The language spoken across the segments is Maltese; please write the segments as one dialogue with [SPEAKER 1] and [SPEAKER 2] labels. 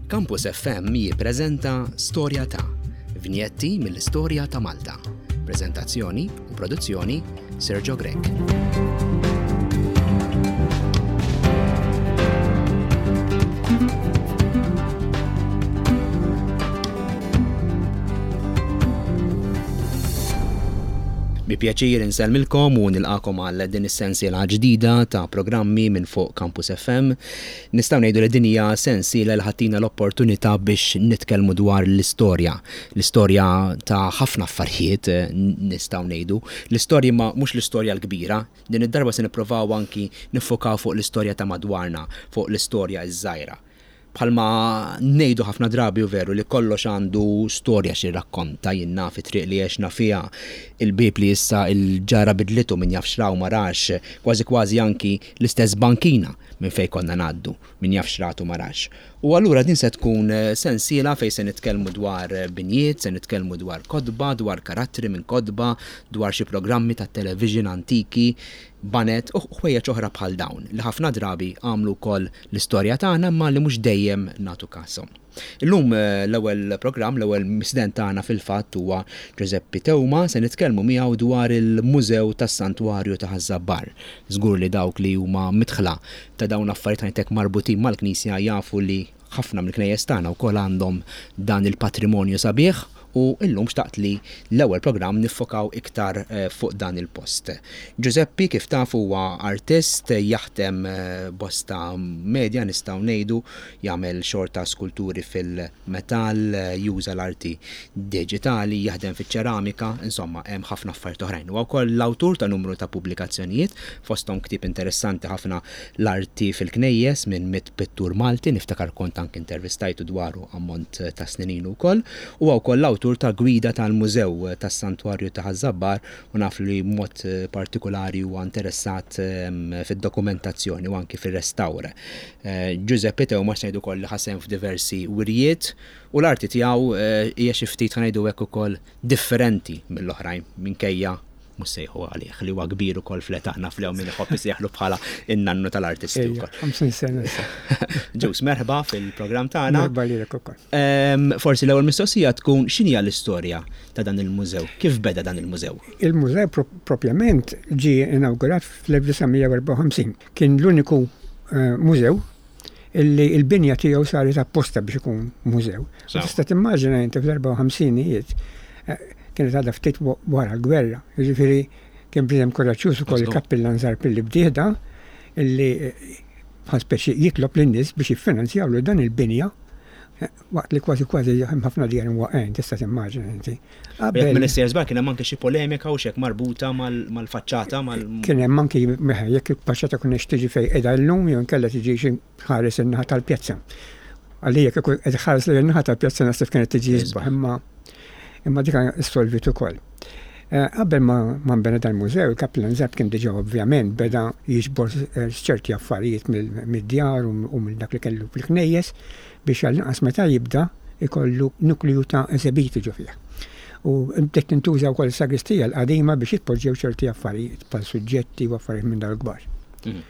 [SPEAKER 1] Campus FM jippreżenta Storja ta' vinjetti mill-istorja ta' Malta. Preżentazzjoni u produzzjoni Sergio Grech. Bi pjaċir insellmilkom u nilqakom għal din is-sensiela ġdida ta' programmi minn fuq Campus FM. Nistgħu ngħidu li din hija sensiela li ħatina l-opportunità biex nitkellmu dwar l-istorja. L-istorja ta' ħafna affarijiet nistgħu ngħidu. L-istorja ma mhux l-istorja l-kbira. Din id-darba se nipprovaw anki niffokaw fuq l-istorja ta' madwarna, fuq l-istorja ż-żgħira. Bħalma ngħidu ħafna drabi hu veru li kollox għandu storja x'jirrakkonta, jien naf it-triq li għexna fiha, il-bieb li issa l-ġara bidlitu min jaf x'ra u ma rax, kważi kważi anki l-istess bankina minn fejn konna ngħaddu, min jaf x'rat u ma rax. U allura din se tkun sensiela fejn se nitkellmu dwar binjiet, se nitkellmu dwar kotba, dwar karattri minn kotba, dwar xi programmi tat-television antiki, baned u ħwejjeġ oħra bħal dawn li ħafna drabi għamlu wkoll l-istorja tagħna imma li mhux dejjem nagħtu kashom. Illum l-ewwel programm, l-ewwel mistieden tagħna fil-fatt huwa Ġużeppi Theuma, se nitkellmu miegħu dwar il-Mużew tas-Santwarju ta' Ħaż-Żabbar. Żgur li dawk li huma midħla ta' dawn l-affarijiet ħajtek marbutin mal-Knisja jafu li Ħafna mill-knejjes tagħna wkoll għandhom dan il-patrimonju sabiħ u llum xtaqt li l-ewwel programm niffokaw iktar fuq dan il-post. Ġużeppi kif tafu huwa artist, jaħdem bosta media nistgħu ngħidu, jagħmel xogħol ta' skulturi fil-metall, juża l-arti diġitali, jaħdem fiċ-ċeramika, insomma hemm ħafna affarijiet oħrajn. Huwa wkoll l-awtur ta' numru ta' pubblikazzjonijiet, fosthom ktieb interessanti ħafna L-Arti fil-Knejjes minn Pittur Malti, niftakar kont anki intervistajtu dwaru ammont ta' snin ilu wkoll. Huwa wkoll l-awtur ta' gwida tal-Mużew tas-Santwarju ta' Ħaż-Żabbar u naf li b'mod partikulari huwa interessat fid-dokumentazzjoni u anki fir-restawr. Giuseppe Theuma ngħidu wkoll li ħa sehem f'diversi wirjiet u l-arti tiegħu hija xi ftit ħa ngħidu hekk ukoll differenti mill-oħrajn minkejja mhux sejħu għalih li huwa kbir ukoll fl-età naf li hawn min iħobb isejħlu bħala in-nannu tal-artisti wkoll.
[SPEAKER 2] 50 sena issa.
[SPEAKER 1] Ġus, merħba fil-programm tagħna.
[SPEAKER 2] Merħba lilek ukoll.
[SPEAKER 1] Forsi l-ewwel mistoqsija tkun x'inhi l-istorja ta' dan il-mużew? Kif beda dan il-mużew?
[SPEAKER 2] Il-mużew propjament ġie inawgurat fl-1954. Kien l-uniku eh, mużew illi l-binja tiegħu saret apposta biex ikun mużew. Tista' timmaġina inti fl-54ijiet eh, kienet għadha ftit wara l-gwerra. Jiġifieri kien bniedem kuraġġjuż ukoll il-kappillan Zarpilli bdieħda illi eh, bħal speċi jitlob lin-nies biex jiffinanzjawlu dan il-binja eh, waqt li kważi kważi hemm ħafna djar imwaqgħin, tista' timmaġina inti.
[SPEAKER 1] Qabel Minister Żbar kien hemm anke xi polemika u xek marbuta mal-faċċata mal.
[SPEAKER 2] Kien hemm anki jekk il-faċċata kunx tiġi fejn qiegħda llum jew inkella tiġi xi ħares in-naħa tal-pjazza. Għalija kieku qed ħares lejn in-naħa tal-pjazza naħseb kienet tiġi isbaħ imma imma dik issolvit ukoll. Eh, qabel ma ma nbena dal-mużew, il-Kaplan Zab kien diġà ovvjament beda jiġbor eh, ċerti affarijiet mid-djar u minn dak li kellu fil-knejjes biex għall-inqas meta jibda jkollu nukleu ta' esebiti ġo fih. U bdiet tintuża wkoll is-sagristija l-qadima biex jitpoġġew ċerti affarijiet bħal suġġetti u affarijiet minn dawn il-kbar.
[SPEAKER 1] Mhm.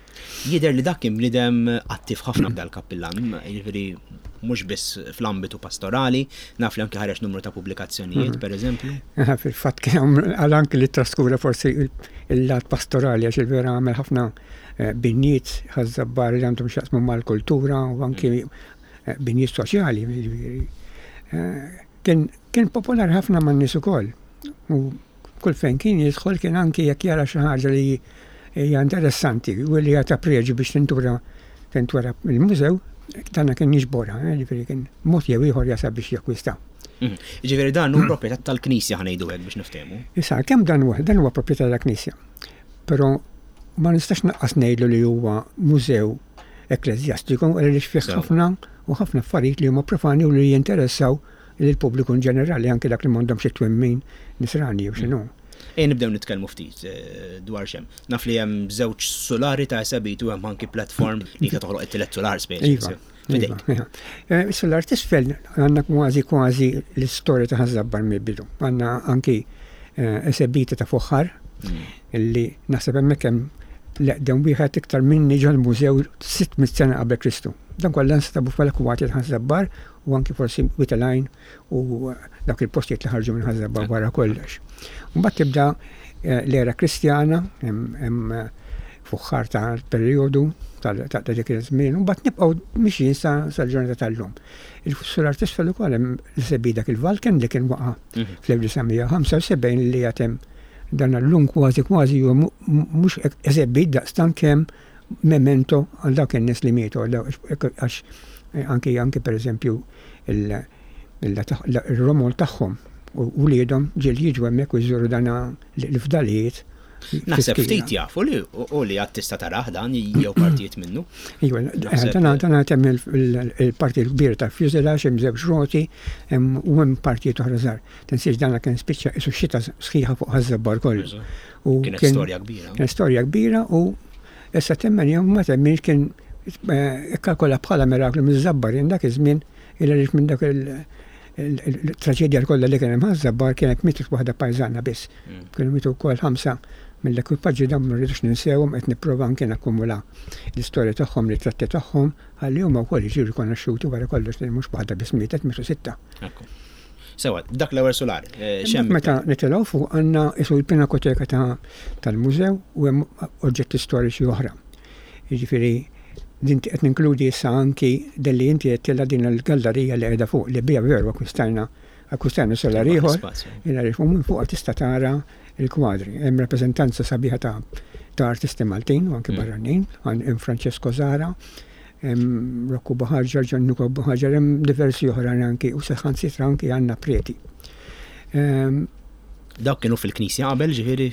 [SPEAKER 1] Jidher li dak kien bniedem attiv ħafna dal-kappillan, jiġifieri mhux biss fl-ambitu pastorali, naf li anki ħareġ numru ta' pubblikazzjonijiet, mhm. pereżempju.
[SPEAKER 2] Fil-fatt kien għal anki li traskura forsi il-lat pastorali għax il-vera għamel ħafna binjiet Ħaż-Żabbar li għandhom x'jaqsmu mal-kultura u anki eh, binjiet soċjali. Jiġifieri. Eh, kien, kien popolari ħafna man-nies ukoll. U kull fejn kien jidħol kien anki jekk jara xi ħaġa li hija interessanti u li hija ta' preġu biex tintura tintwera il-mużew, dana kien jiġborha, eh, ġifieri kien mod jew ieħor jasal biex jakkwista.
[SPEAKER 1] Mhm. Ġifieri dan hu proprjetà tal-Knisja ħanejdu hekk biex niftehmu.
[SPEAKER 2] Issa kemm dan huwa dan huwa proprjetà tal-Knisja. Però ma nistax naqqas ngħidlu li huwa mużew ekkleżjastiku għaliex fih ħafna u ħafna affarijiet li huma profani u li jinteressaw lill-pubbliku in ġenerali anke dak li m'għandhomx it-twemmin nisrani jew x'inhu.
[SPEAKER 1] Ejja nibdew nitkellmu ftit eh, dwar x'hemm. Naf li hemm żewġ sulari ta' esebit u hemm anki platform li ta' toħloq it-tielet sular speċi.
[SPEAKER 2] Iva. Iva, iva. Eh, sular t'isfel għandna kważi kważi l-istorja ta' Ħaż-Żabbar mill-bidu. Għandna anki eh, esebiti ta' fuħħar mm. illi naħseb hemmhekk hemm L-eqdem wieħed iktar minni ġol-mużew 600 sena qabel Kristu. Dan kollha nstabu fl-akwati ta' Ħaż-Żabbar u anki forsi Wied il-Għajn u dawk il-postijiet li ħarġu minn Ħaż-Żabbar wara kollox. Mbagħad tibda eh, l-era Kristjana, hemm eh, fuħħar ta' perjodu ta' dik iż-żmien, u mbagħad nibqgħu mixjin sa sal-ġurnata tal-lum. Il-sular t'isfel ukoll hemm l-esebi dak il-Valken li kien waqa' mhm. fl-1975 li għatem dan l-lum kważi kważi huwa mhux esebit daqstant kemm memento għal dawk in-nies li mietu għax eh, anki anki pereżempju il-romol tagħhom u wliedhom ġiel jiġu hemmhekk u jżuru dan l-fdalijiet.
[SPEAKER 1] Naħseb ftit jafu li u li għad tista' tarah dan jew partijiet minnu.
[SPEAKER 2] Iva, dan dan hemm il-parti l-kbira tal-fuselage hemm żewġ roti u hemm partijiet oħra żgħar. Tinsiex dan kien spiċċa isu xita sħiħa fuq ħaż-żabbar kollu.
[SPEAKER 1] U kienet storja kbira.
[SPEAKER 2] Kienet storja kbira u issa temmen jew ma temminx kien eh, ikkalkola bħala miraklu miż-żabbarin dak iż-żmien il għaliex minn dak il-traġedja kollha li kien hemm ħaż-żabbar kienet mietet waħda pajżana biss. Mm. Kienu mietu wkoll ħamsa mill-ekwipaġġi dawn ma rridux ninsewhom qed nipprova anke nakkumula l-istorja tagħhom, ritratti tagħhom, ħalli huma wkoll jiġu rikonoxxuti wara kollox li mhux waħda biss mietet mietu sitta.
[SPEAKER 1] Sewa, dak l-ewwel sular.
[SPEAKER 2] Eh, x'hemm? Meta nitilgħu fuq għandna isu l-pinakoteka tal-mużew u hemm oġġetti storiċi oħra. Jiġifieri din qed ninkludi issa anki delli inti qed tilha din il-gallerija li qiegħda fuq li bija veru akkwistajna akkwistajna solar ieħor. Il għaliex minn fuq tista' tara l-kwadri. Hemm rappreżentanza sabiħa ta' ta' artisti Maltin u anki mm. barranin, hemm Francesco Zara, hemm Rocco Buhaġar, Gianluca Buhaġar, hemm diversi oħrajn anki u saħansitra anki għandna preti.
[SPEAKER 1] Ehm, Dawk kienu fil-knisja qabel, ġifieri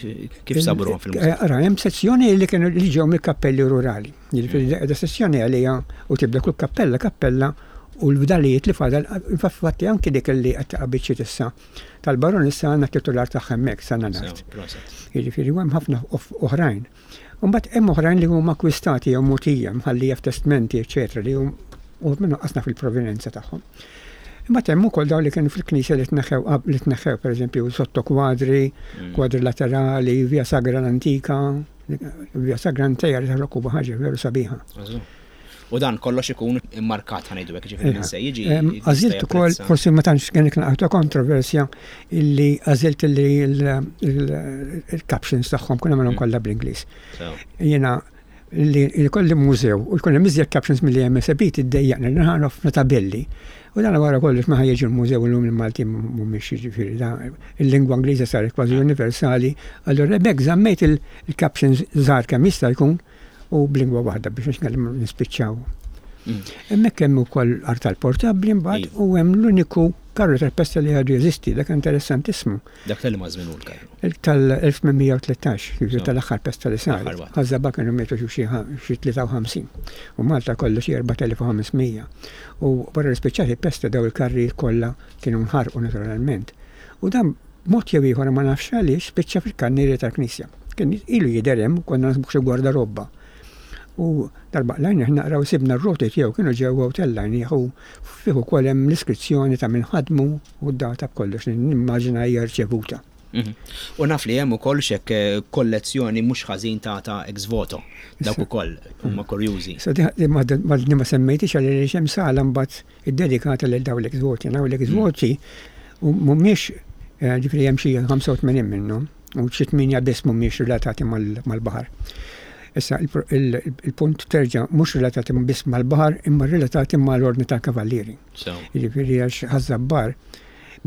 [SPEAKER 1] kif saburuhom fil-mużew?
[SPEAKER 2] Eh, ara, hemm sezzjoni li kienu li ġew mill-kappelli rurali. Jiġifieri mm. da sezzjoni għalija u tibda kull kappella kappella u l-fdalijiet li fadal, infatti anki dik li qed taqa' issa tal-baronessa għandna titular tagħha hemmhekk sa nart. Jiġifieri hemm ħafna oħrajn. Imbagħad hemm oħrajn li huma akkwistati jew mogħtija, mħallija f'testmenti, eċċetera, li hum u minnu qasna fil-provenenza tagħhom. Imbagħad hemm ukoll dawn li kienu fil-knisja li tneħħew li tneħħew pereżempju sotto kwadri, mm. kwadri laterali, via sagra l-antika, via sagra antika li taħrok ħaġa veru sabiħa.
[SPEAKER 1] U dan kollox ikun immarkat ħa ngħidu hekk, jiġifieri min se jiġi.
[SPEAKER 2] Għażilt ukoll, forsi ma tantx kien naqgħu ta' kontroversja illi għażilt illi il-captions tagħhom kun għamilhom mm. kollha bl-Ingliż. Jiena li jkolli mużew u jkun hemm iżjed captions milli hemm esebiti ddejjaqni li ħafna tabelli. U dan wara kollox ma ħajġi l-mużew illum il-Malti mhumiex jiġifieri il-lingwa Ingliża saret kważi universali, allura hemmhekk żammejt il-captions żgħar kemm jista' jkun u b'lingwa waħda biex nix nispiċċaw. Mm. Hemmhekk hemm ukoll artal portabbli mbagħad u hemm l-uniku karru tal-pesta li għadu jeżisti, dak interessantissimu.
[SPEAKER 1] Dak tal ma żmien l-karru?
[SPEAKER 2] Tal-1813, jiġifieri tal-aħħar pesta li sar. Ħażaba kienu mietu xi 53. U Malta kollu xi 4500. U wara li spiċċat il-pesta daw il-karri kollha kienu nħarqu naturalment. U dan B'mod jew ieħor ma nafx għaliex spiċċa fil-kannierja tal-knisja. Kien ilu jidher hemm, konna naħsbuh xi gwardarobba. U darba qlajnieh naqra u sibna r-roti tiegħu kienu ġewwa u tellajnieh u fih ukoll hemm l-iskrizzjoni ta' min ħadmu u d-data b'kollox li nimmaġina hija rċevuta.
[SPEAKER 1] Mhm. U naf li hemm ukoll xek eh, kollezzjoni mhux ħażin ta' ta' ex voto. Dawk ukoll huma kurjużi.
[SPEAKER 2] Sa di ma semmejtix għaliex hemm sala mbagħad iddedikata lil dawn l-ex voti. Dawn l-ex voti mhumiex eh, ġifieri hemm xi 85 minnhom u xi tminja biss mhumiex relatati mal-baħar. Issa il-punt terġa' mhux relatati biss mal-baħar imma relatati mal-ordni tal-kavallieri. Jiġifieri għax Ħaż-Żabbar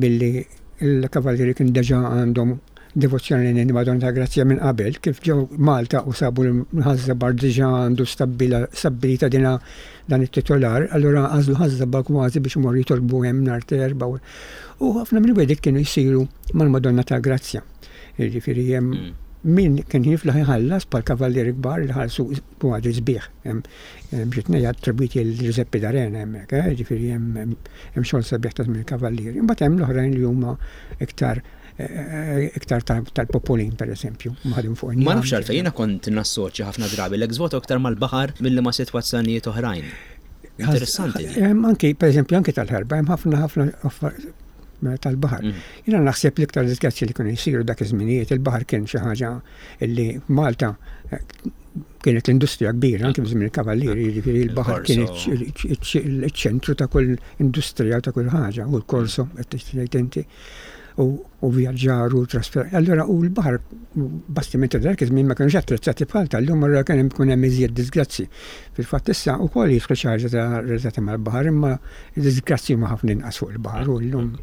[SPEAKER 2] billi l-kavallieri kien deġa għandhom devozzjoni lejn il-Madonna ta' Grazzja minn qabel, kif ġew Malta u sabu l-Ħaż-Żabbar diġà għandu stabbilita dina dan it-titolar, allura għażlu Ħaż-Żabbar kważi biex imorru jitolbu hemm nhar t'Erbgħa. U ħafna mill-wegħdiet kienu jsiru mal-Madonna ta' Grazzja. Jiġifieri hemm mm. min kien jiflaħ iħallas bħal kavallieri kbar li ħallsu kwadri sbieħ. Hemm xi tnejn attribwiti lil Giuseppe D'Arena hemmhekk, eh, jiġifieri hemm xogħol sabiħ ta' żmien il-kavallieri. Imbagħad hemm l-oħrajn li huma iktar eh, iktar tal-popolin pereżempju, maħdum fuq
[SPEAKER 1] Ma nafx għalfejn jiena kont nassoċja ħafna drabi l-ex voto iktar mal-baħar milli ma' sitwazzjonijiet oħrajn. Interessanti.
[SPEAKER 2] Anki, pereżempju, anki tal-ħerba, hemm ħafna ħafna tal-baħar. Mm. Jiena naħseb l-iktar disgrazzji li kienu jsiru dak iż-żminijiet, il-baħar kien xi ħaġa li Malta eh, Kienet l-industrija kbira, anke żmien il-kavallieri, jiġifieri l-baħar kien iċ-ċentru ta' kull industrija ta' kull ħaġa, u l-korso, qed tgħid inti, u vjaġġar u trasfer. Allura u l-baħar bastimenti ta' dak iż-żmien ma kinux attrezzati bħal tal-lum, allura kien hemm ikun hemm iżjed disgrazzi. Fil-fatt issa wkoll jidħlu xi ħaġa ta' relatati mal-baħar, imma d-disgrazzi huma ħafna inqas fuq il-baħar u llum.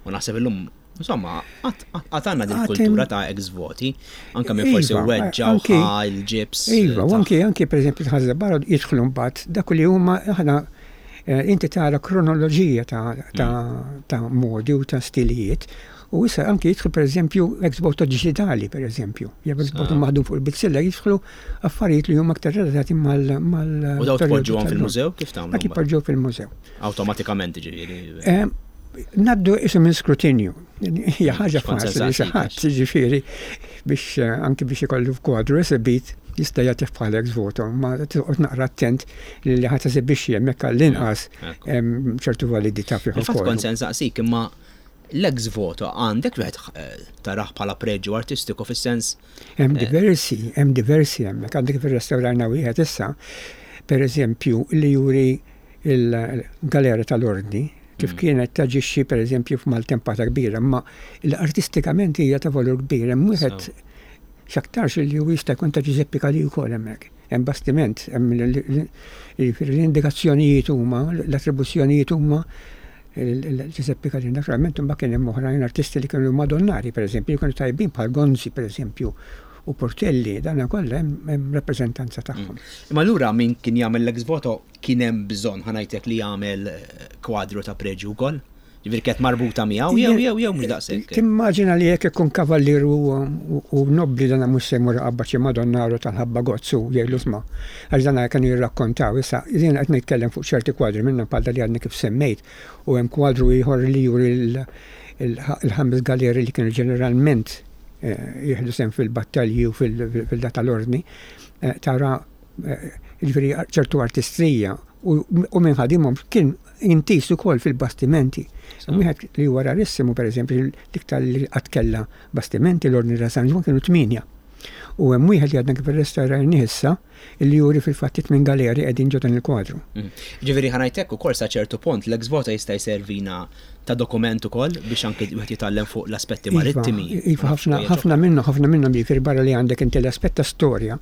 [SPEAKER 1] U naħseb illum Insomma, għad għandna din kultura ta' ex voti, anke minn forsi iva, weġġa u il-ġibs.
[SPEAKER 2] Iva, u anke anke pereżempju tħażżeb barra jidħlu mbagħad dak li huma aħna eh, inti tara kronoloġija ta' mm. modi u ta' stilijiet. U issa anke jidħlu pereżempju ex voto digitali pereżempju, jew ex voto ah. maħdum fuq il-bizzilla jidħlu affarijiet li huma aktar relatati mal
[SPEAKER 1] mal U daw tpoġġuhom fil-mużew kif tagħmlu?
[SPEAKER 2] Dak jpoġġew fil-mużew.
[SPEAKER 1] Awtomatikament ġifieri. Eh,
[SPEAKER 2] Naddu isu minn skrutinju. Hija ħaġa faċli xi ħadd, jiġifieri biex eh, anki biex ikollu f'kwadru esibit jista' jagħtih bħala ex voto, ma toqgħod naqra attent li li ħadd esibixxi hemmhekk għall-inqas ċertu validità
[SPEAKER 1] fih. Fatt kont se nsaqsik imma l-ex voto għandek wieħed eh, taraħ bħala preġju artistiku fis-sens.
[SPEAKER 2] Hemm eh, diversi, hemm diversi hemmhekk għandek fir-restawrajna wieħed issa, per eżempju, li juri il-galera tal-ordni kif mm. kienet taġixxi pereżempju f'maltempata kbira, imma l-artistikament hija ta' valur kbir. Hemm wieħed x'aktarx li hu jista' jkun ta' Giuseppe Calì wkoll hemmhekk. Hemm bastiment, hemm l-indikazzjonijiet huma, l-attribuzzjonijiet huma Giuseppe Calì. Naturalment imbagħad kien hemm oħrajn artisti li kienu Madonnari pereżempju, li kienu tajbin bħal Gonzi pereżempju u Portelli, dan kollha hemm rappreżentanza tagħhom.
[SPEAKER 1] Mm. Imma lura min kien jagħmel l-ex voto Kien hemm bżonn, ħa ngħidlek, li jagħmel kwadru ta' preġju wkoll? Ġifieri kienet marbuta miegħu jew jew jew mhux daqshekk?
[SPEAKER 2] Timmaġina li jekk ikun kavallier u nobbli dan mhux se jmur iqabbad xi Madonnaru tal-ħabba gozz u jgħidlu isma' għax dan kienu jirrakkontaw. Issa jiena qed nitkellem fuq ċerti kwadri minnhom bħal dak li għadni kif semmejt u hemm kwadru ieħor li juri l-ħames galeri li kienu ġeneralment jieħdu sehem fil-battalji u fil-data tal-ordni tara jiġifieri ċertu artistrija u min ħadimhom kien intiż ukoll fil-bastimenti. Wieħed li huwa rarissimu pereżempju l-iktar li qatt kellha bastimenti l-Ordni ta' San Ġwann kienu tmienja. U hemm wieħed li għadna kif irrestawrajnih issa li juri fil-fatt it-tmien galeri qegħdin ġo dan il-kwadru.
[SPEAKER 1] Mm. Ġifieri ħa ngħid hekk ukoll sa ċertu punt l-ex voto jista' jservina ta' dokument ukoll biex anke wieħed jitgħallem fuq l-aspetti iva, marittimi.
[SPEAKER 2] Iva, ħafna minnhom, ħafna minnhom jiġifieri barra li għandek inti l-aspett ta' storja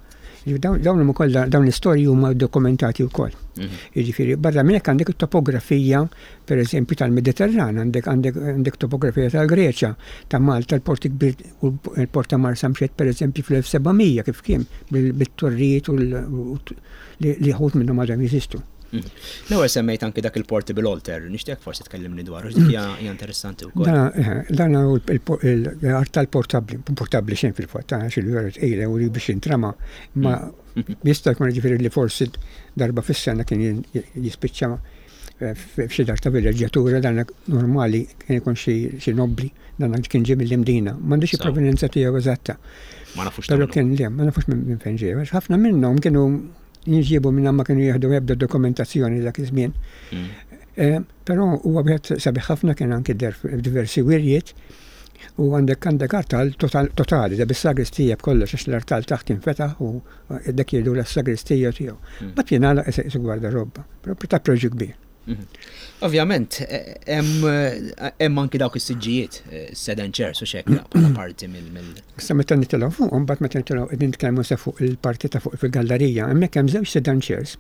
[SPEAKER 2] Dawn huma kollha dawn l-istorji huma dokumentati wkoll. Mhm. Jiġifieri barra minn hekk għandek it-topografija pereżempju tal-Mediterran, għandek għandek għandek topografija tal-Greċja, ta' Malta l-port kbir u l-port ta' Marsamxett pereżempju fl-1700 kif kien bit-torrijiet u li ħut minnhom għadhom jeżistu.
[SPEAKER 1] Mhm. L-ewwel semmejt anki dak il-portable altar, nixtieq forsi tkellimni dwaru, dik hija interessanti
[SPEAKER 2] wkoll. Eh, dan hu l-artal portabbli, portabbli xejn fil-fatt, għax il-vera tqila u li biex jintrama, ma mhm. jista' jkun ġifieri li forsi darba fis-sena kien jispiċċa eh, f'xi dar ta' villeġġjatura dan normali kien ikun xi nobbli, dan kien ġie mill-Imdina. M'għandix il-provenenza tiegħu eżatta.
[SPEAKER 1] Ma nafux.
[SPEAKER 2] Però kien le, ma nafux minn fejn ġie. Ħafna minnhom kienu Jinġiebu minn ma kienu jieħdu ebda dokumentazzjoni dak iż-żmien. Mm. Eh, però huwa wieħed sabiħ ħafna kien anki diversi wirjiet u għandek għandek artal totali, da bis-sagristija b'kollox għax l-artal taħt infetaħ u dak jgħidu l-sagristija tiegħu. Mm. Bat jingħalaq isu gwardarobba, propju ta' preġu kbir.
[SPEAKER 1] Mhm. Ovvjament, hemm anki dawk is-siġġijiet, eh, sedan chairs u xekk bħala parti mill.
[SPEAKER 2] Issa meta nitilgħu fuq, mbagħad meta nitilgħu qegħdin nitkellmu se fuq il-parti ta' fuq fil-gallerija, hemmhekk hemm żewġ sedan chairs.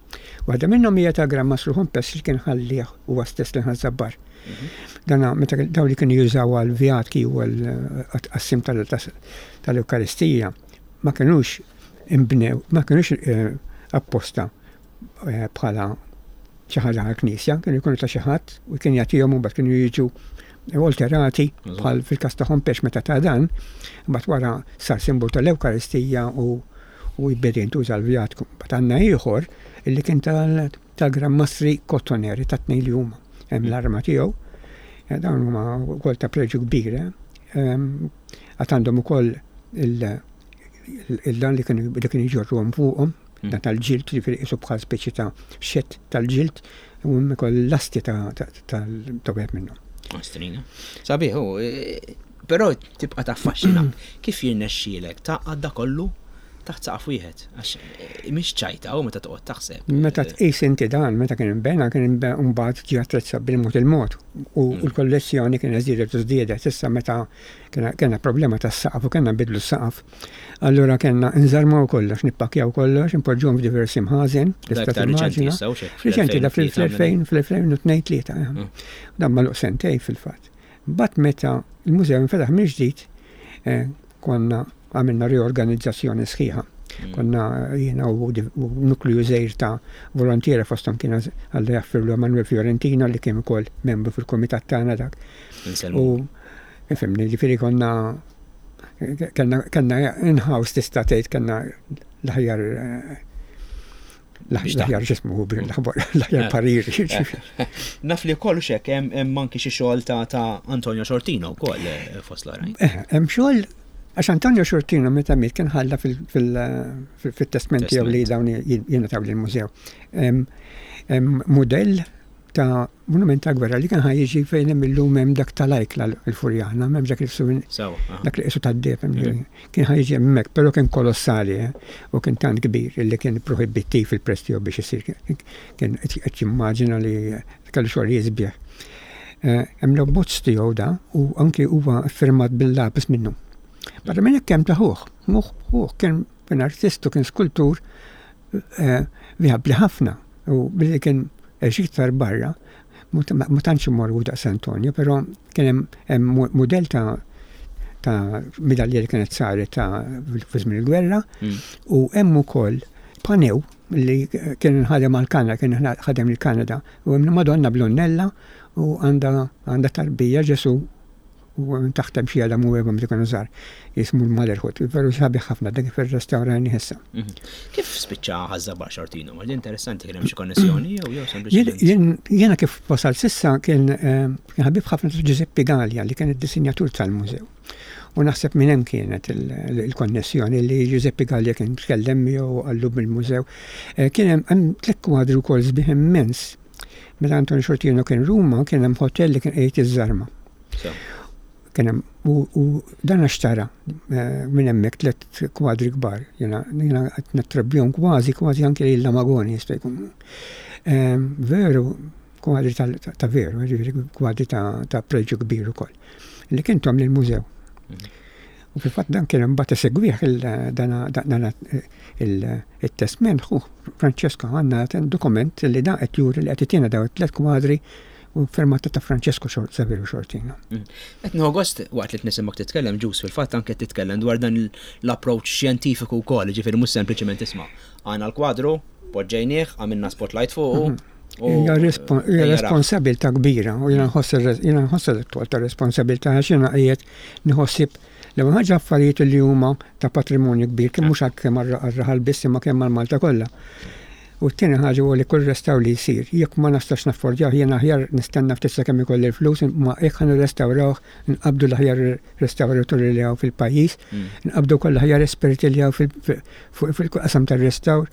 [SPEAKER 2] Waħda minnhom hija ta' Gran Mastru Humpes li kien ħallih huwa stess li ħażabbar. Mhm. Dana meta dawn li kienu jużaw għal vjatki u għal tqassim tal-Ewkaristija ma kinux imbnew, ma kinux eh, apposta eh, bħala xi ħaġa għall-Knisja, kienu jkunu ta' xi ħadd u kien jagħtihom u mbagħad kienu jiġu alterati bħal fil-każ ta' Hompex meta ta' dan, mbagħad wara sar simbolu tal-Ewkaristija u u jbeda jintuża l-vjatku. Mbagħad għandna ieħor illi kien tal-Gran Mastri Kottoneri tat-tnejn li huma. Hemm l-arma tiegħu. Eh, dawn huma wkoll ta' preġju kbir. Eh. Ehm, għad għandhom ukoll il-dan li kienu jġorruhom fuqhom mm. dan tal-ġilt, ġifieri qisu bħal speċi ta' xett tal-ġilt, u hemm ukoll lasti ta' wieħed minnhom.
[SPEAKER 1] Ostrina. Sabiħ, e, però tibqa' taffaxxina. Kif jirnexxielek taqgħad da kollu? Taħt saqaf wieħed, għax eh, mhix ċajta u meta toqgħod taħseb.
[SPEAKER 2] Meta eh, tqis inti dan, meta kien inbena kien inbena mbagħad ġie attrezzat bil-mod il-mod u mm. l-kollezzjoni kien żdiedet u żdiedet. Issa meta kellna problema tas-saqaf u kellna nbidlu s-saqaf. Allura kellna nżarmaw kollox, nippakjaw kollox, npoġġuhom f'diversi mħażen,
[SPEAKER 1] tista' timmaġina.
[SPEAKER 2] Riċenti da fl-2000, fl-2002 tlieta. Eh. Dan maluq sentej fil-fatt. Mbagħad meta l-mużew infetaħ mill-ġdid, konna għamilna riorganizzazzjoni sħiħa. Mm. Konna jiena u nukliju żgħir ta' volontiera fosthom kien Alla jaffirlu Manuel Fiorentino li kien ukoll membru fil-kumitat tagħna dak. U fimni, ġifieri konna kellna in-house tista' tgħid kellna l-aħjar eh, L-aħjar x'ismu l-aħjar eh. parir.
[SPEAKER 1] Naf li wkoll xek hemm anki xi xogħol ta' Antonio Xortino wkoll eh, fost l-oħrajn.
[SPEAKER 2] Eh, hemm xogħol għax Antonio Xortino meta miet kien ħalla fil-testment tiegħu li dawn jingħataw lill-mużew. Hemm mudell ta' monument ta' gwerra li kien ħa jiġi fejn hemm illum hemm dak tal-ajkla l-Furjana, hemm dak il-suwin dak li qisu tad-deheb mm. kien ħa jiġi hemmhekk, però kien kolossali eh, u kien tant kbir li kien prohibittiv il-prezz tiegħu biex isir kien qed jimmaġina li kellu xogħol jisbieħ. Eh, hemm l-abbozz tiegħu da u anki huwa firmat bil-lapis minnu. Barra minn hekk hemm ta' ħuh, ħuh kien artist u kien skultur eh, vijabbli ħafna u billi kien għex iktar barra, ma tantx imorru daqs Antonio, però kien hemm mudell ta' ta' midalja li kienet saret ta' fi żmien il-gwerra mm. u hemm ukoll panew li kien ħadem għal Kanada, kien ħadem il-Kanada u hemm Madonna Blonnella u għandha tarbija Ġesu U minn taħt hemm xi għadam u Eva meta kienu żgħar jismu l-Motherhood. Veru sabiħ ħafna dak kif irrestawrajni issa.
[SPEAKER 1] Mhm. Kif spiċċa ħażabar Xortino? Ma interessanti kien hemm xi konnessjoni jew jew sempliċement.
[SPEAKER 2] Jiena kif wasal sissa kien eh, kien ħabib ħafna ta' Giuseppe Gallia li kien id-disinjatur tal-mużew. U naħseb minn hemm kienet il-konnessjoni li Giuseppe Gallia kien tkellem miegħu qallu bil-mużew. Eh, kien hemm tliet kwadri wkoll sbieħ immens Meta Anton Xortino kien Ruma kien hemm hotel li kien qiegħed iż-żarma. Kien hemm u dan xtara eh, minn hemmhekk tliet kwadri kbar. Jiena jiena qed nattribwihom kważi kważi anke lil Magoni jista' jkun. Ehm, veru kwadri ta' veru, ġifieri kwadri ta' preġju kbir ukoll. Li kien tom lill-mużew. Mhm. U fil-fatt dan kien imbagħad isegwih dan il-testment ħu Francesco għandna dokument li dan qed juri li qed itina daw it-tliet kwadri u firmata ta' Francesco Saverio Xortino. Mm.
[SPEAKER 1] Qed nieħu gost waqt li nisimgħek titkellem ġus fil-fatt anke titkellem dwar dan l-approach xjentifiku wkoll, ġifieri mhux sempliċement isma' għandna l-kwadru, poġġejnieh, għamilna spotlight fuqu, mhm.
[SPEAKER 2] Hija responsabilità kbira u jiena nħoss jiena nħoss l-tol ta' responsabilità għax jiena qiegħed nħossib l-ewwel ħaġa affarijiet li huma ta' patrimonju kbir kemm mhux kemm għar-raħal biss imma kemm għal Malta kollha. U t-tieni ħaġa huwa li kull restawr li jsir, jekk ma nistax naffordjah jiena aħjar nistenna ftit sakemm ikolli l-flus, imma jekk ħa nirrestawrawh nqabbdu l-aħjar restawraturi li hawn fil-pajjiż, mm. nqabbdu wkoll l-aħjar esperti li hawn fil-qasam tar-restawr.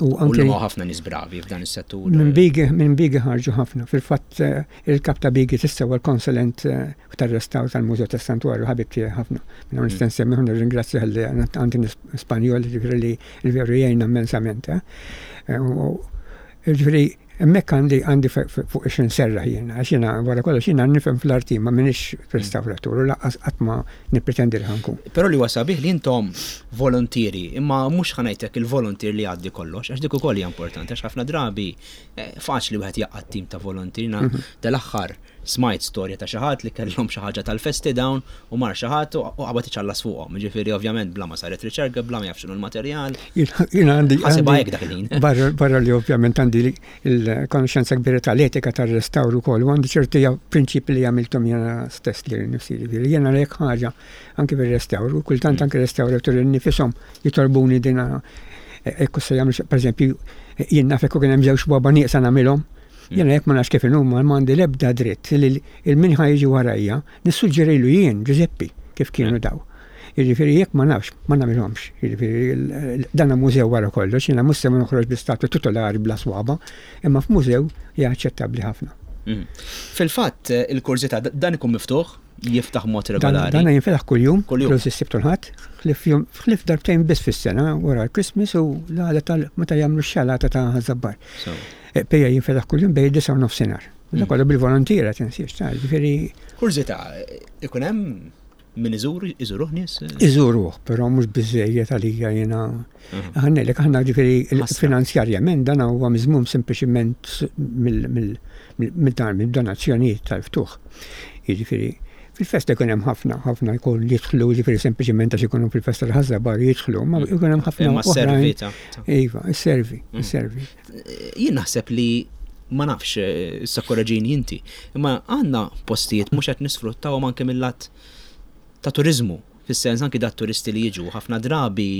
[SPEAKER 1] U anke ħafna nies bravi f'dan is-settur.
[SPEAKER 2] Minn Bigi, minn Bigi ħarġu ħafna. Fil-fatt eh, il-kap ta' Bigi tista' huwa l-konsulent eh, tar-restawr tal-Mużew tas-Santwarju ħabib tiegħi ħafna. Minn hawn nista' mm. nsemmiħu nirringrazzja li għandi Spanjol ġifieri li l-veru jgħinna immensament. Eh. Ġifieri Hemmhekk għandi għandi fuq ix nserraħ jiena, għax jiena wara kollox jiena nifhem fl-arti ma m'iniex restawratur u lanqas qatt ma nippretendi li ħa nkun.
[SPEAKER 1] Però li huwa sabiħ li intom volontieri, imma mhux ħa ngħidlek il-volontier li jgħaddi kollox, għax dik ukoll hija importanti, għax ħafna drabi eh, faċli wieħed jaqgħad tim ta' volontieri. Mhm. Dal-aħħar Smajt storja ta' xi ħadd li kellhom xi ħaġa tal-festi dawn u mar xi ħadd u qabad iċallas fuqhom. Jiġifieri ovvjament bla ma saret riċerka, bla ma jaf x'inhu l-materjal.
[SPEAKER 2] Jiena għandi.
[SPEAKER 1] Ħasibha hekk dak il-ħin.
[SPEAKER 2] Barra li ovvjament għandi l-konoxxenza kbira tal-etika tar-restawr ukoll u għandi ċerti prinċipi li għamilthom jiena stess li nnifsi. Jiġifieri jiena jekk ħaġa anke fir-restawr u kultant anke restawraturi nnifishom jitolbuni din hekk se jagħmlu pereżempju jien naf hekk kien hemm żewġ baba nieqsa nagħmilhom. Jiena jekk ma nafx kif inhuma m'għandi l-ebda dritt li l-min ħa jiġi warajja nissuġġerilu jien, Ġużeppi, kif kienu daw. Jiġifieri jekk ma nafx, ma nagħmilhomx. Jiġifieri dan mużew wara kollox, jiena mhux se noħroġ bi statwa titolari bla swaba, imma f'mużew hija aċċettabbli ħafna.
[SPEAKER 1] Mm. Fil-fatt, il-kurżità dan ikun miftuħ? jiftaħ mod regolari.
[SPEAKER 2] Dan jinfetaħ kuljum, kuljum is-Sibt u l-Ħadd, ħlief darbtejn biss fis-sena wara l-Christmas u l-għada tal meta jagħmlu x-xalata ta' Ħaż-Żabbar. Eh, Pejja jinfetaħ kuljum bejn disa' u nofsinhar. Dak kollu bil-volontiera tinsiex ta' ġifieri.
[SPEAKER 1] Kurżità, ikun hemm min iżur, iżuruh nies?
[SPEAKER 2] Iżuruh, però mhux biżejjed għalija jiena. Mhm. Ħannejlek aħna ġifieri finanzjarjament dan huwa miżmum sempliċiment mill-donazzjonijiet tal-ftuħ. Jiġifieri fil-festa jkun hemm ħafna, ħafna jkun jidħlu ġifieri sempliċiment għax ikunu fil-festa tal-ħażabar jidħlu, ma mm. jkun hemm ħafna.
[SPEAKER 1] Imma servi ta'
[SPEAKER 2] Iva, servi, mm. servi.
[SPEAKER 1] Jien naħseb li ma nafx, issa korreġini inti, imma għandna postijiet mhux qed nisfruttawhom anke mill-lat ta' turiżmu, fis-sens anki dat turisti li jiġu ħafna drabi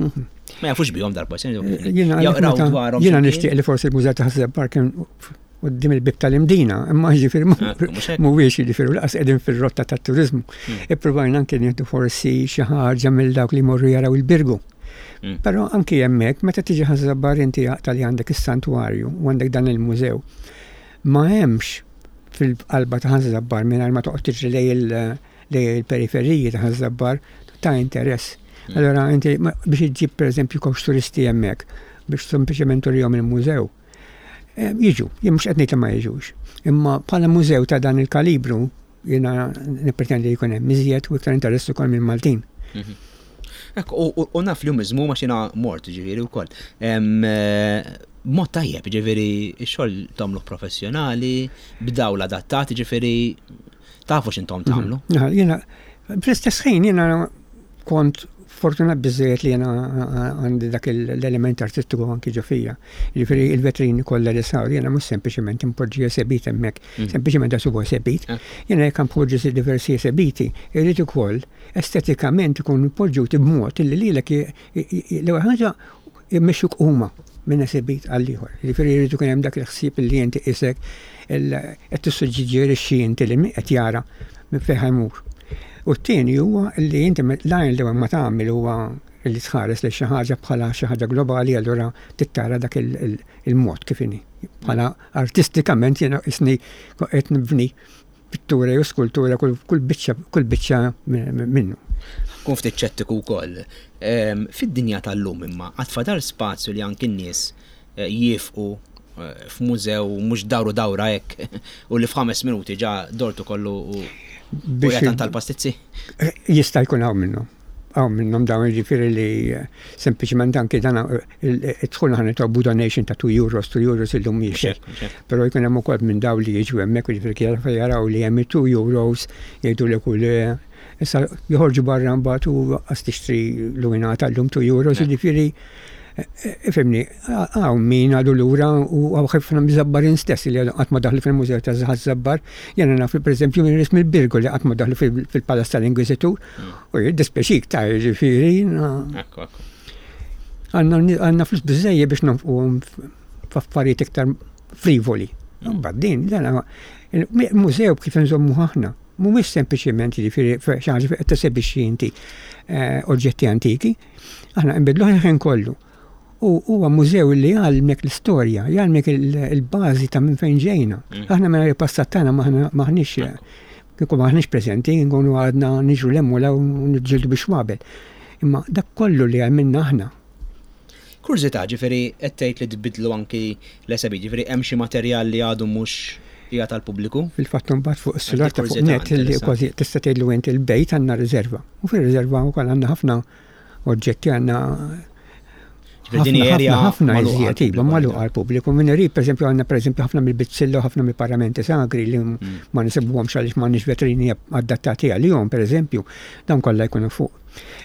[SPEAKER 1] ma jafux bihom darba,
[SPEAKER 2] jaqraw dwarhom. Jiena nixtieq li forsi l-Mużew ta' Ħaż-Żabbar kien quddiem il-bieb tal-Imdina, imma ġifieri mhuwiex jiġifieri laqas qegħdin fir-rotta tat-turiżmu. Hmm. Ippruvajna anke nieħdu forsi xi ħaġa mill dawk li jmorru jaraw il-Birgu. Hmm. Però anki hemmhekk meta tiġi Ħaż-Żabbar inti jaqta' li għandek is-santwarju u għandek dan il-mużew. Ma hemmx fil-qalba ta' Ħaż-Żabbar mingħajr ma toqgħod tiġri lej il-periferiji ta' Ħaż-Żabbar ta' interess. Hmm. Allora inti biex iġġib pereżempju kowx turisti hemmhekk biex sempliċement turihom il-mużew. Eh, jiġu, jien mhux qed ngħid li ma jiġux. Imma bħala mużew ta' dan il-kalibru jiena nippretendi li jkun hemm iżjed u iktar interess ukoll minn Maltin. Mhm.
[SPEAKER 1] Ekk, u naf li miżmu ma xina mort ġifieri wkoll. Eh, mod tajjeb, ġifieri x-xogħol tagħmluh professjonali, b'dawl adattat, ġifieri tafu x'intom mhm. tagħmlu.
[SPEAKER 2] Jiena fl-istess ħin jiena kont fortunat biżżejjed li jiena għandi dak l-element artistiku anki ġo fija. Jiġifieri il-vetrini kollha li saru jiena mhux sempliċement impoġġi esebit hemmhekk, mm. sempliċement għax huwa esebit. Ah. Jiena jekk npoġġi diversi esebiti, irrid ukoll estetikament ikunu poġġuti b'mod li lilek l-ewwel ħaġa jmexxuk huma minn esebit għal ieħor. Jiġifieri jrid ikun hemm dak il-ħsieb li inti qisek qed tissuġġerixxi inti li min qed jara minn fejn ħa jmur. U t-tieni huwa li inti l-għajn l-ewwel ma tagħmel huwa li tħares lejn xi ħaġa bħala xi ħaġa globali allura trid tara dak il-mod kif inhi. Bħala artistikament jiena qisni qed nibni pittura jew skultura kull biċċa kull biċċa minnu.
[SPEAKER 1] Kun ftit ċettiku wkoll. Ehm, fid-dinja tal-lum imma għad fadal spazju li anki n-nies eh, jiefqu eh, f'mużew mhux dawru dawra hekk u li f'ħames minuti ġa dortu kollu u biex tal-pastizzi?
[SPEAKER 2] Eh, jista' jkun hawn minnhom. Hawn minnhom dawn jiġifieri li eh, sempliċement anki dan id-dħul aħna nitolbu donation ta' 2 euros, 2 euros illum mhijiex hekk. Però jkun hemm ukoll minn dawn li jiġu hemmhekk jiġifieri kif jaraw li hemm 2 euros jgħidulek u le issa joħorġu barra mbagħad u qas tixtri luminata llum 2 euros, jiġifieri Ifhimni, hawn min għadu lura u hawn ħafna miż-Żabbarin stess li għadhom qatt ma daħlu fil-Mużew ta' Ħaż-Żabbar. Jiena naf pereżempju min nies mill-Birgu li qatt ma daħlu fil-Palazz tal-Inkwiżitur. U jiddispjaċik ta' jiġifieri. Ekku, ekku. Għandna flus biżejjed biex nonfquhom f'affarijiet iktar frivoli. Mbagħad din, dan mużew kif inżommuh aħna. Mhumiex sempliċement jiġifieri xi ħaġa fejn qed tesebixxi inti eh, oġġetti antiki, Aħna nbiddluh il-ħin kollu. U huwa mużew li jgħallmek l-istorja, jgħallmek il-bażi ta' minn fejn ġejna. Mm. Aħna minn il-passat tagħna maħniex kieku maħniex preżenti, nkunu għadna niġru l-hemm u niġġieldu biex wabel. Imma dak kollu li għamilna aħna.
[SPEAKER 1] Kurżità, ġifieri qed tgħid li tbiddlu anki l-esebi, ġifieri hemm xi materjal li għadu mhux hija tal-pubbliku?
[SPEAKER 2] Fil-fatt imbagħad fuq is-sular ta' fuq net li kważi tista' tgħidlu inti l-bejt għandna riserva. U fir-riserva wkoll għandna ħafna oġġetti għandna ħafna ħafna iżjed iva magħluq għall-pubbliku. Min irid pereżempju għandna pereżempju ħafna mill-bizzilla u ħafna mill-paramenti sagri li mm. ma nisibuhomx għaliex m'għandniex vetrini adattati għalihom pereżempju, dawn kollha jkunu fuq.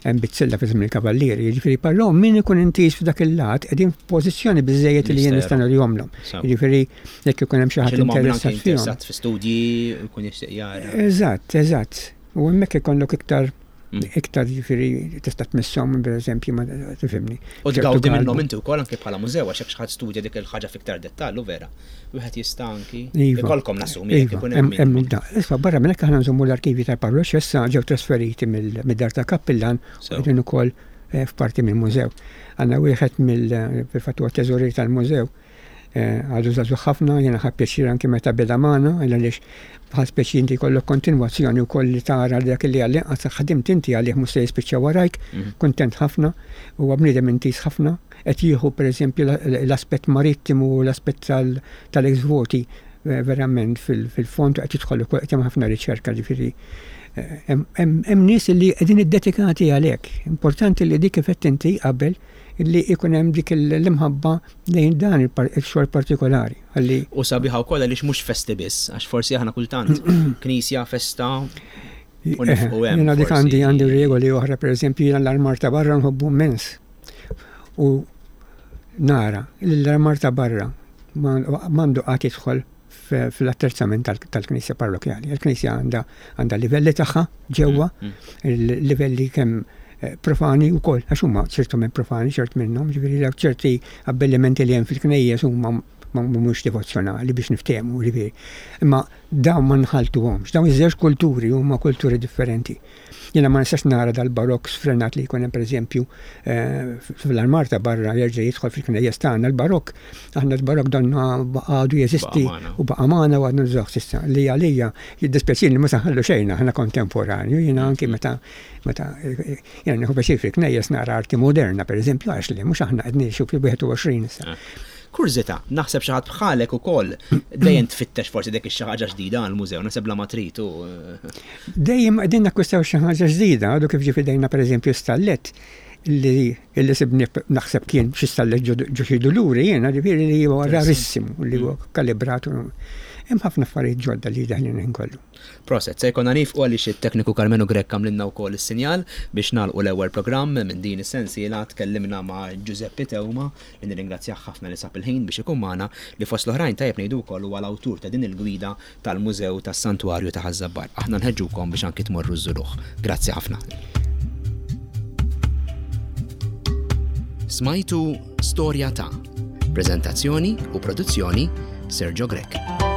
[SPEAKER 2] Hemm bizzilla fi żmien il-kavallieri, jiġifieri però min ikun intiż f'dak il-lat qegħdin f'pożizzjoni biżejjed li jien nista' nurihomlhom. Jiġifieri jekk ikun hemm xi ħadd
[SPEAKER 1] interessat fihom. Fi studji jkun jixtieq jara.
[SPEAKER 2] Eżatt, eżatt. U hemmhekk ikollok iktar mm. iktar ġifieri tista' tmisshom pereżempju ma tifhimni.
[SPEAKER 1] U tgawdi minnhom inti wkoll anke bħala mużew għax jekk xi ħadd studja dik il-ħaġa fiktar dettall u vera. Wieħed jista' anki iva. ikollkom nassumi jekk
[SPEAKER 2] ikun hemm. Hemm Issa barra minn hekk aħna nżommu l-arkivi tal-parroċċa issa ġew trasferiti mid-dar tal-kappillan u qegħdin ukoll eh, f'parti mill-mużew. Għandna wieħed mill fil-fatt huwa teżorier tal-mużew. Għadu żagħżugħ ħafna, jiena ħadt pjaċir anki meta beda magħna, għaliex bħal speċi inti jkollok kontinwazzjoni wkoll li tara li dak li għall-inqas ħdimt inti għalih mhux se jispiċċa warajk, kuntent ħafna, huwa bniedem intiż ħafna, qed jieħu pereżempju l-aspett marittimu u l-aspett tal-ex voti verament fil-fond u qed jidħol ukoll qed jagħmel ħafna riċerka ġifieri hemm nies li qegħdin iddedikati għalhekk. Importanti li dik kif għedt inti qabel li jkun hemm dik l-imħabba lejn dan il-xogħol partikolari. Ħalli.
[SPEAKER 1] U sabiħa wkoll għaliex mhux festi biss, għax forsi aħna kultant knisja, festa u nifqu hemm.
[SPEAKER 2] Jiena dik għandi għandi regoli oħra, pereżempju jiena l-armar ta' barra nħobbu immens. U nara li l-armar ta' barra m'għandu qatt jidħol fl-attrezzament tal-knisja parrokjali. Il-knisja għandha għandha livelli tagħha ġewwa, il-livelli kemm eh, profani wkoll, għax huma ċertu minn profani, ċert minnhom, ġifieri dawk ċerti abbellimenti li hemm fil-knejjes huma mhumiex devozzjonali biex niftehmu, ġifieri. Imma dawn ma nħaltuhomx, dawn iż-żewġ kulturi huma kulturi differenti. Jiena ma nistax nara dal-barokk sfrenat li jkun hemm pereżempju eh, fl-armar ta' barra jerġa' jidħol fil-knejjes tagħna l-barokk. Aħna l-barokk dan għadu jeżisti u baqa' magħna u għadna nużawh s'issa. Li għalija jiddispjaċini li ma saħallu xejn aħna kontemporanju, jiena anki meta meta eh, jiena nieħu pjaċir fil-knejjes nara arti moderna pereżempju għax li mhux aħna qed ngħixu fil-21 issa.
[SPEAKER 1] Eh. Kurżità, naħseb xi ħadd bħalek ukoll dejjem tfittex forsi dik xi ħaġa ġdida għall-mużew, naħseb bla ma trid u.
[SPEAKER 2] Dejjem qegħdin nakkwistaw xi ħaġa ġdida, għadu kif ġie f'idejna pereżempju stallett li li sibni naħseb kien xi stallett ġo xi duluri jiena, ġifieri li huwa rarissimu li huwa kalibrat. Hemm ħafna affarijiet ġodda li daħlin ħin kollu.
[SPEAKER 1] Proset, se jkollna niefqu għaliex it-tekniku Karmenu Grech għamlilna wkoll is-sinjal biex nagħlqu l-ewwel programm minn din is-sensiela. Tkellimna ma' Giuseppe Teuma li nirringrazzjah ħafna li sab il-ħin biex ikun magħna, li fost l-oħrajn tajjeb ngħidu wkoll huwa l-awtur ta' din il-gwida tal-Mużew tas-Santwarju ta' Ħaż-Żabbar. Aħna nħeġġukom biex anki tmorru żżuruh. Grazzi ħafna. Smajtu Storja ta' Preżentazzjoni u produzzjoni Sergio Grech.